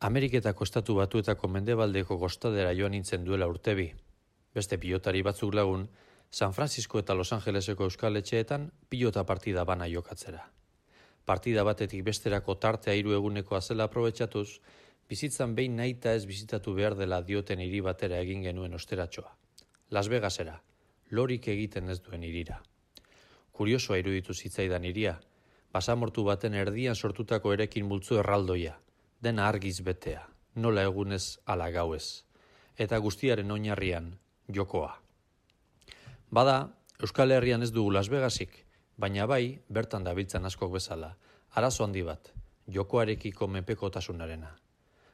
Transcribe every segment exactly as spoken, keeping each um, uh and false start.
Ameriketako estatu batuetako mendebaldeko kostadera joan nintzen duela urtebi. Beste pilotari batzuk lagun, San Francisco eta Los Angeleseko euskal etxeetan pilota partida bana jokatzera. Partida batetik besterako tartea hiru egunekoa zela aprobetxatuz, bizitzan behin nahita ez bizitatu behar dela dioten hiri batera egin genuen osteratxoa. Las Vegasera, lorik egiten ez duen hirira. Kuriosoa iruditu zitzaidan hiria, basamortu baten erdian sortutako erekin multzo erraldoia, dena argiz betea, nola egunez ala gauez, eta guztiaren oinarrian jokoa. Bada, Euskal Herrian ez dugu Las Vegasik, baina bai, bertan dabiltzan askok bezala, arazo handi bat, jokoarekiko menpekotasunarena.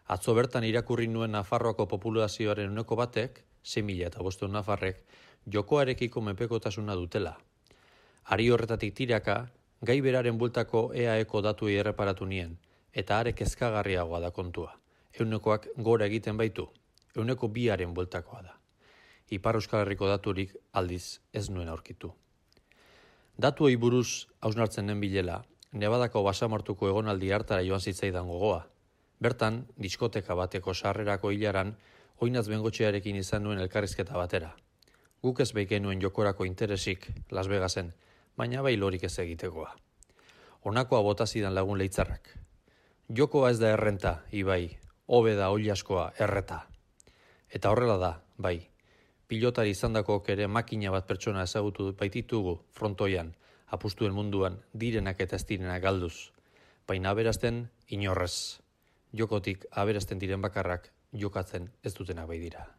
Atzo bertan irakurri nuen Nafarroako populazioaren uneko batek, sei mila eta bostehun nafarrek, jokoarekiko menpekotasuna dutela. Ari horretatik tiraka, gai beraren bueltako E A Eko datuei erreparatu nien, eta are kezkagarriagoa da kontua. Eunekoak gora egiten baitu, euneko biaren bueltakoa da. Ipar Euskal Herriko daturik aldiz ez nuen aurkitu. Datuei buruz hausnartzen den bilela, Nevadako basamortuko egonaldi hartara joan zitzaidan gogoa. Bertan, diskoteka bateko sarrerako hilaran, oinaz bengotxearekin izan nuen elkarrizketa batera. Guk ez beik genuen jokorako interesik Las Vegasen, baina bai lorik ez egitekoa. Honakoa bota zidan lagun leitzarrak. Jokoa ez da errenta, ibai, hobe da oilaskoa erreta. Eta horrela da, bai, pilotari izandakok ere makina bat pertsona ezagutu baititugu frontoian, apustuen munduan direnak eta ez direnak galduz. Baina aberasten inorrez. Jokotik aberasten diren bakarrak jokatzen ez dutenak bai dira.